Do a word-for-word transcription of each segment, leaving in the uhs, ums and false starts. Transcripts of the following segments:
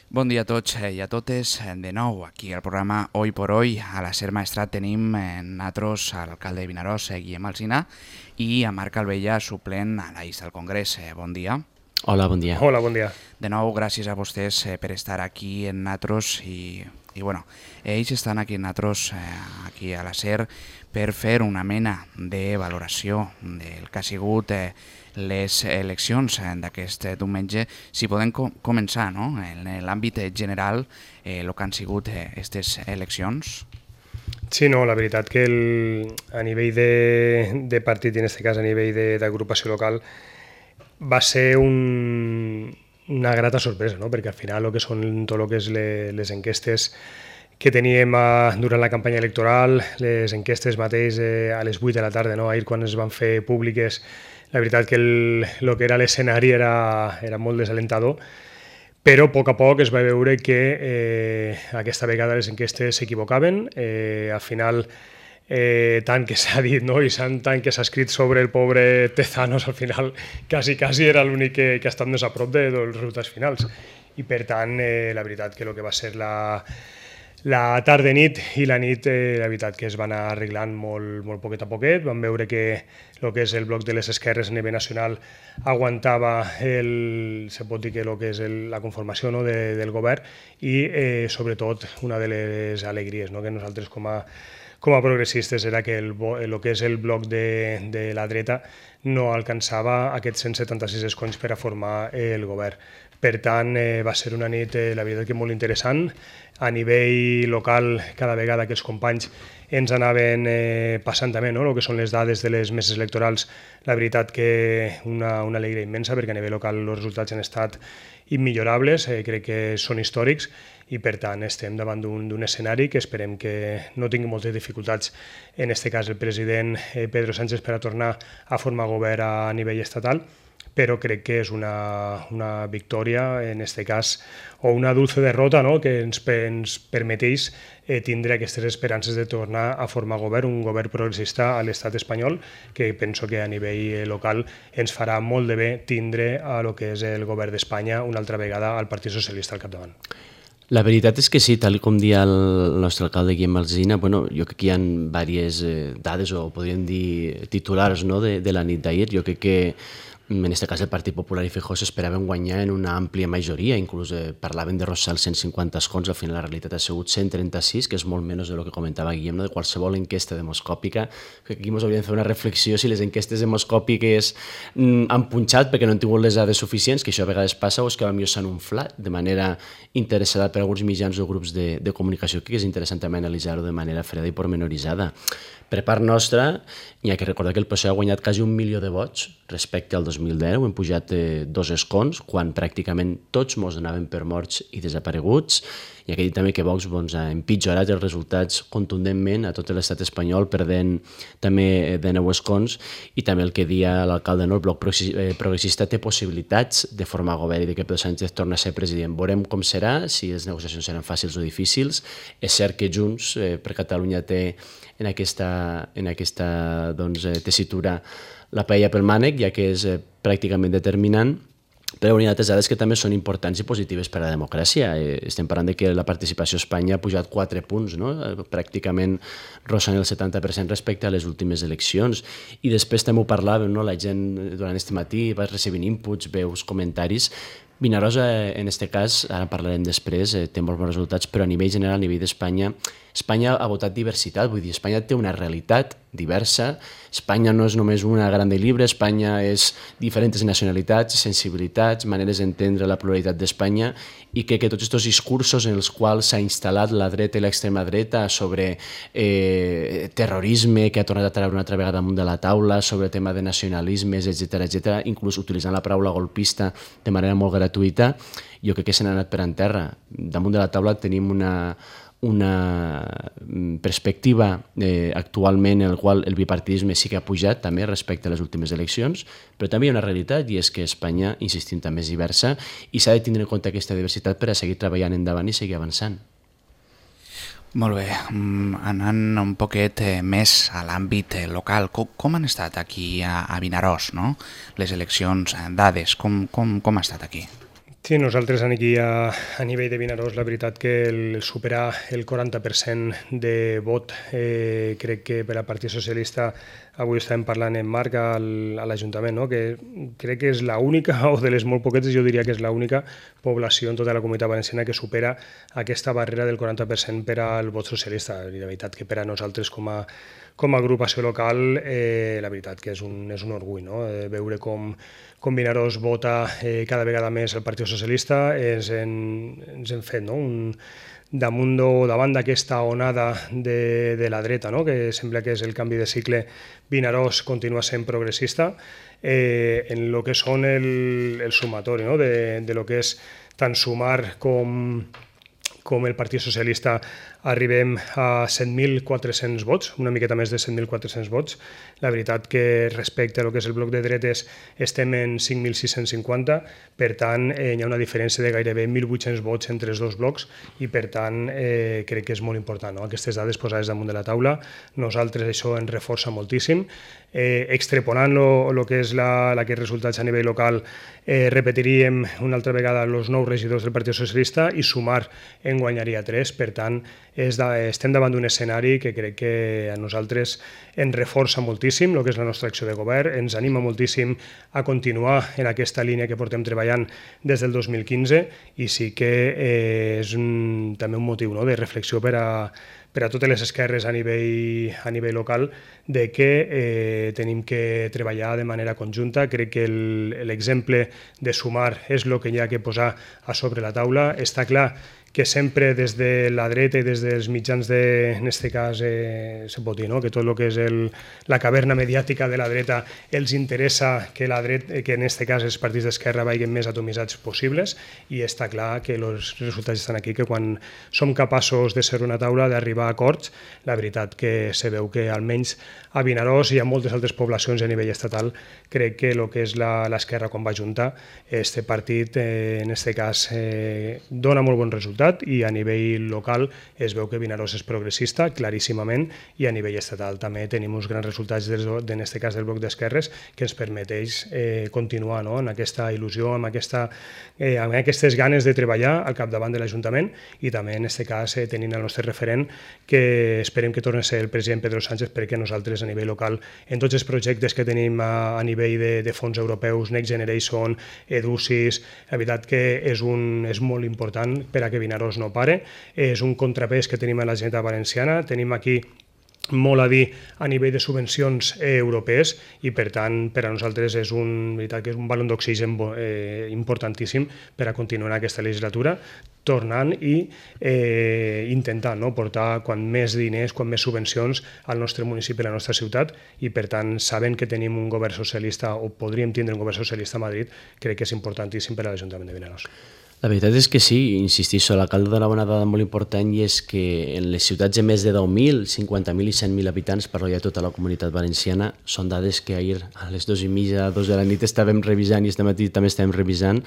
Bon dia a tots i a totes. De nou, aquí al programa Hoy por Hoy, a la Ser Maestrat tenim nosaltres a l'alcalde de Vinaròs, Guillem Alsina, i a Marc Albella, suplent a l'Aix del Congrés. Bon dia. Hola, bon dia. Hola, bon dia. De nou, gràcies a vostès per estar aquí en nosaltres i, i bueno, ells estan aquí en nosaltres, aquí a la Ser, per fer una mena de valoració del que ha sigut eh, les eleccions d'aquest diumenge. Si podem co començar, no?, en l'àmbit general, eh, el que han sigut aquestes eh, eleccions. Sí, no, la veritat que el, a nivell de, de partit, i en aquest cas a nivell d'agrupació local, va ser un, una grata sorpresa, no? Perquè al final el que són tot el que és les, les enquestes que teníem a, durant la campanya electoral, les enquestes mateix eh, a les vuit de la tarda, no? Ahir quan es van fer públiques, la veritat que el, el que era l'escenari era, era molt desalentador, però a poc a poc es va veure que eh, aquesta vegada les enquestes s'equivocaven. Eh, al final, eh, tant que s'ha dit, no? I tant que s'ha escrit sobre el pobre Tezanos, al final quasi, quasi era l'únic que, que ha estat més a prop de, dels resultats finals. I per tant, eh, la veritat que el que va ser la, la tarda-nit i la nit, eh, la veritat que es van anar arreglant molt, molt poquet a poquet. Vam veure que el que és el bloc de les esquerres a nivell nacional aguantava el, se pot dir que el que és el, la conformació, no?, de, del govern i eh, sobretot una de les alegries, no?, que nosaltres com a, com a progressistes era que el, el que és el bloc de, de la dreta no alcançava aquests cent setanta-sis escons per a formar el govern. Per tant, eh, va ser una nit, eh, la veritat que molt interessant. A nivell local, cada vegada que els companys ens anaven eh, passant també, no?, el que són les dades de les meses electorals, la veritat que una, una alegria immensa, perquè a nivell local els resultats han estat immillorables, eh, crec que són històrics, i per tant estem davant d'un escenari que esperem que no tingui moltes dificultats, en aquest cas el president eh, Pedro Sánchez, per a tornar a formar govern a nivell estatal, però crec que és una, una victòria, en aquest cas, o una dulce derrota, no?, que ens, ens permeteix eh, tindre aquestes esperances de tornar a formar govern, un govern progressista a l'estat espanyol, que penso que a nivell local ens farà molt de bé tindre a lo que és el govern d'Espanya una altra vegada al Partit Socialista al capdavant. La veritat és que sí, tal com dia el nostre alcalde Guillem Alsina, bueno, jo crec que hi ha diverses eh, dades, o podríem dir titulars, no?, de, de la nit d'ahir. Jo crec que en aquest cas el Partit Popular i Feijóo s'esperaven guanyar en una àmplia majoria, inclús eh, parlaven de rossar els cent cinquanta escons, al final la realitat ha sigut cent trenta-sis, que és molt menys del que comentava Guillem, no?, de qualsevol enquesta demoscòpica. Que aquí ens hauríem de fer una reflexió si les enquestes demoscòpiques mm, han punxat perquè no han tingut les dades suficients, que això a vegades passa, o és que potser s'han inflat de manera interessada per alguns mitjans o grups de, de comunicació, que és interessant també analitzar-ho de manera freda i pormenoritzada. Per part nostra, hi ha que recordar que el P S O E ha guanyat quasi un milió de vots respecte al dos mil deu, hem pujat eh, dos escons, quan pràcticament tots mos donaven per morts i desapareguts, i aquí també que Vox doncs, ha empitjorat els resultats contundentment a tot l'estat espanyol, perdent també de nou escons, i també el que dia l'alcalde, no? El bloc progressista té possibilitats de formar govern i de que Pedro Sánchez torni a ser president. Veurem com serà, si les negociacions seran fàcils o difícils. És cert que Junts eh, per Catalunya té en aquesta, en aquesta doncs, tessitura la paella pel mànec, ja que és eh, pràcticament determinant, però hi ha altres dades que també són importants i positives per a la democràcia. Eh, estem parlant de que la participació a Espanya ha pujat quatre punts, no?, pràcticament rossant el setanta per cent respecte a les últimes eleccions. I després també ho parlàvem, no?, la gent durant aquest matí va recibint inputs, veus, comentaris. Vinaròs, en aquest cas, ara parlarem després, eh, té molts bons resultats, però a nivell general, a nivell d'Espanya, Espanya ha votat diversitat, vull dir, Espanya té una realitat diversa, Espanya no és només una gran de llibre, Espanya és diferents nacionalitats, sensibilitats, maneres d'entendre la pluralitat d'Espanya, i crec que tots aquests discursos en els quals s'ha instal·lat la dreta i l'extrema dreta sobre eh, terrorisme, que ha tornat a treure una altra vegada damunt de la taula, sobre el tema de nacionalismes, etcètera, etcètera, inclús utilitzant la paraula golpista de manera molt gratuïta, jo crec que s'han anat per en terra. Damunt de la taula tenim una una perspectiva eh, actualment en la qual el bipartidisme sí que ha pujat també respecte a les últimes eleccions, però també hi ha una realitat, i és que Espanya, insistim, també és diversa, i s'ha de tindre en compte aquesta diversitat per a seguir treballant endavant i seguir avançant. Molt bé, anant un poquet més a l'àmbit local, com, com han estat aquí a, a Vinaròs, no?, les eleccions, dades, com, com, com ha estat aquí? Sí, nosaltres aquí a, a nivell de Vinaròs, la veritat que el superar el quaranta per cent de vot, eh, crec que per al Partit Socialista, avui estàvem parlant en Marc al, a l'Ajuntament, no? Que crec que és l'única, o de les molt poquetes, jo diria que és l'única població en tota la Comunitat Valenciana que supera aquesta barrera del quaranta per cent per al vot socialista. I la veritat que per a nosaltres com a, com a agrupació local, eh, la veritat que és un, és un orgull, no? Eh, veure com com Vinaròs vota eh, cada vegada més el Partit Socialista, ens, en, ens hem fet, no? Un, damunt o davant d'aquesta onada de, de la dreta, no? Que sembla que és el canvi de cicle, Vinaròs continua sent progressista eh, en el que són el, el sumatori, no? de, de lo que és tant Sumar com, com el Partit Socialista. Arribem a set mil quatre-cents vots, una miqueta més de set mil quatre-cents vots. La veritat que respecte a lo que és el bloc de dretes estem en cinc mil sis-cents cinquanta, per tant eh, hi ha una diferència de gairebé mil vuit-cents vots entre els dos blocs i per tant eh, crec que és molt important, no? Aquestes dades posades damunt de la taula. Nosaltres això ens reforça moltíssim. Eh, extrapolant el que és la, la que resultats a nivell local, eh, repetiríem una altra vegada els nous regidors del Partit Socialista i Sumar en guanyaria tres, per tant és de, estem davant d'un escenari que crec que a nosaltres ens reforça moltíssim el que és la nostra acció de govern, ens anima moltíssim a continuar en aquesta línia que portem treballant des del dos mil quinze i sí que eh, és un, també un motiu, no?, de reflexió per a, per a totes les esquerres a nivell, a nivell local, de que eh, tenim que treballar de manera conjunta. Crec que l'exemple de Sumar és el que hi ha que posar a sobre la taula. Està clar que sempre des de la dreta i des dels mitjans de, en aquest cas, eh, se pot dir, no?, que tot el que és el, la caverna mediàtica de la dreta els interessa que, la dreta, que en aquest cas els partits d'esquerra vagin més atomitzats possibles, i està clar que els resultats estan aquí, que quan som capaços de ser una taula, d'arribar a acords, la veritat que se veu que almenys a Vinaròs i a moltes altres poblacions a nivell estatal, crec que el que és l'esquerra quan va juntar, este partit, eh, en aquest cas, eh, dona molt bon resultat, i a nivell local es veu que Vinaròs és progressista, claríssimament, i a nivell estatal també tenim uns grans resultats, en aquest cas del bloc d'esquerres, que ens permeteix eh, continuar, no?, en aquesta il·lusió, amb, aquesta, eh, amb aquestes ganes de treballar al capdavant de l'Ajuntament, i també en aquest cas eh, tenint el nostre referent, que esperem que torni a ser el president Pedro Sánchez, perquè nosaltres a nivell local, en tots els projectes que tenim a, a nivell de, de fons europeus, Next Generation, Edusis, la veritat que és, un, és molt important per a que Vinaròs no pare. És un contrapès que tenim a la Generalitat Valenciana, tenim aquí molt a dir a nivell de subvencions eh, europees, i per tant per a nosaltres és un, veritat, que és un balon d'oxigen eh, importantíssim per a continuar aquesta legislatura, tornant i eh, intentant, no?, portar quan més diners, quan més subvencions al nostre municipi, a la nostra ciutat, i per tant, sabent que tenim un govern socialista, o podríem tindre un govern socialista a Madrid, crec que és importantíssim per a l'Ajuntament de Vinaròs. La veritat és que sí, insistixo, l'alcalde donava una dada molt important, i és que en les ciutats de més de deu mil, cinquanta mil i cent mil habitants, parlo ja de tota la Comunitat Valenciana, són dades que ahir a les dues i mitja, dos de la nit estàvem revisant, i este matí també estàvem revisant.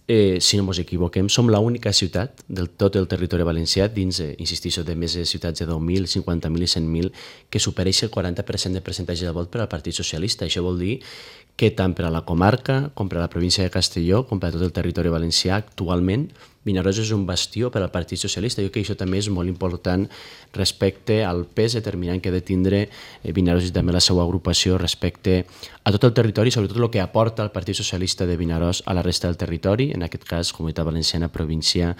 Eh, si no ens equivoquem, som l'única ciutat del tot el territori valencià, dins, eh, insistixo, de més de ciutats de deu mil, cinquanta mil i cent mil, que supereix el quaranta per cent de percentatge de vot per al Partit Socialista. Això vol dir que tant per a la comarca, com per a la província de Castelló, com per a tot el territori valencià, actualment Vinaròs és un bastió per al Partit Socialista. Jo crec que això també és molt important respecte al pes determinant que ha de tindre Vinaròs i també la seva agrupació respecte a tot el territori, sobretot el que aporta el Partit Socialista de Vinaròs a la resta del territori, en aquest cas Comunitat Valenciana, província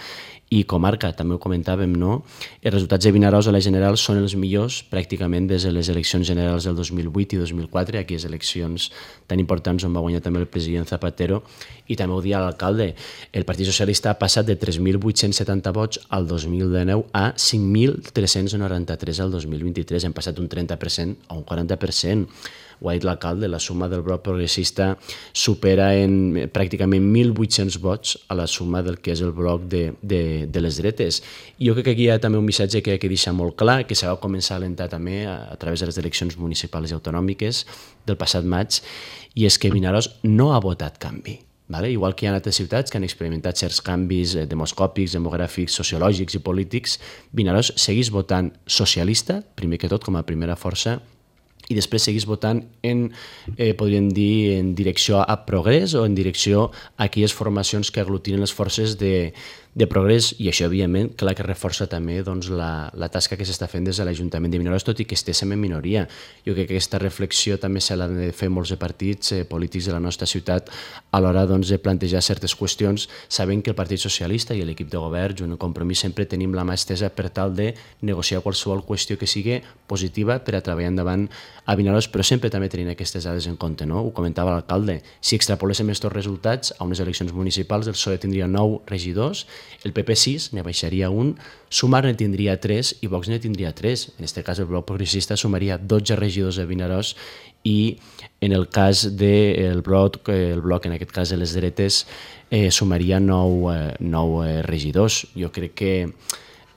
i comarca. També ho comentàvem, no? Els resultats de Vinaròs a la general són els millors pràcticament des de les eleccions generals del dos mil vuit i dos mil quatre, aquelles eleccions tan importants on va guanyar també el president Zapatero, i també ho dia l'alcalde. El Partit Socialista ha passat de tres mil vuit-cents setanta vots al dos mil dinou a cinc mil tres-cents noranta-tres al dos mil vint-i-tres. Hem passat un trenta per cent a un quaranta per cent. Ho ha dit l'alcalde, la suma del bloc progressista supera en pràcticament mil vuit-cents vots a la suma del que és el bloc de, de, de les dretes. I jo crec que aquí hi ha també un missatge que, que deixa molt clar, que s'ha de començar a alentar també a, a través de les eleccions municipals i autonòmiques del passat maig, i és que Vinaròs no ha votat canvi. Vale? Igual que hi ha altres ciutats que han experimentat certs canvis demoscòpics, demogràfics, sociològics i polítics, Vinaròs segueix votant socialista, primer que tot, com a primera força, i després seguís votant en, eh, podríem dir, en direcció a progrés o en direcció a aquelles formacions que aglutinen les forces de, de progrés, i això, evidentment, clar que reforça també doncs, la, la tasca que s'està fent des de l'Ajuntament de Vinaròs, tot i que estéssim en minoria. Jo crec que aquesta reflexió també se l'han de fer molts de partits eh, polítics de la nostra ciutat a l'hora doncs, de plantejar certes qüestions, sabent que el Partit Socialista i l'equip de govern, junt al Compromís, sempre tenim la mà estesa per tal de negociar qualsevol qüestió que sigui positiva per a treballar endavant a Vinaròs, però sempre també tenint aquestes dades en compte, no? Ho comentava l'alcalde, si extrapoléssim aquests resultats a unes eleccions municipals, el P S O E tindria nou regidors, el P P sis ne baixaria un, Sumar ne tindria tres i Vox ne tindria tres. En aquest cas el bloc progressista sumaria dotze regidors a Vinaròs i en el cas del bloc, el bloc en aquest cas de les dretes, eh, sumaria nou, eh, nou eh, regidors. Jo crec que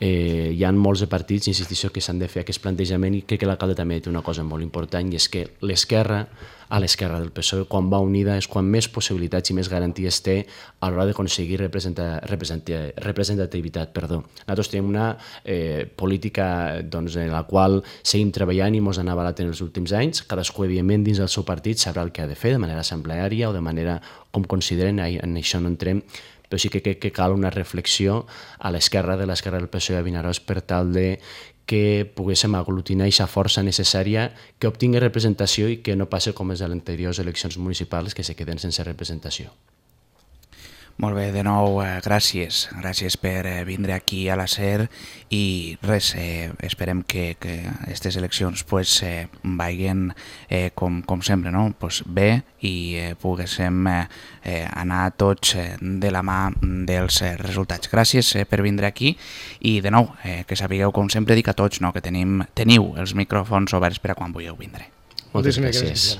eh, hi ha molts de partits, insistixo, que s'han de fer aquest plantejament, i crec que l'alcalde també té una cosa molt important, i és que l'esquerra, a l'esquerra del P S O E, quan va unida és quan més possibilitats i més garanties té a l'hora d'aconseguir representativitat. Perdó. Nosaltres tenim una eh, política doncs, en la qual seguim treballant i ens ha avalat en els últims anys. Cadascú, evidentment, dins del seu partit sabrà el que ha de fer, de manera assembleària o de manera com consideren, en això no entrem, però sí que crec que cal una reflexió a l'esquerra de l'esquerra del P S O E a Vinaròs per tal de que poguéssim aglutinar aquesta força necessària que obtingui representació i que no passi com les de les anteriors eleccions municipals, que se queden sense representació. Molt bé, de nou, eh, gràcies. Gràcies per eh, vindre aquí a la SER i res, eh, esperem que aquestes eleccions pues, eh, vagin eh, com, com sempre, no? Pues bé, i eh, poguéssim eh, eh, anar tots eh, de la mà dels eh, resultats. Gràcies eh, per vindre aquí i de nou, eh, que sapigueu, com sempre dic a tots, no? Que tenim, teniu els micròfons oberts per a quan vulgueu vindre. Moltes gràcies.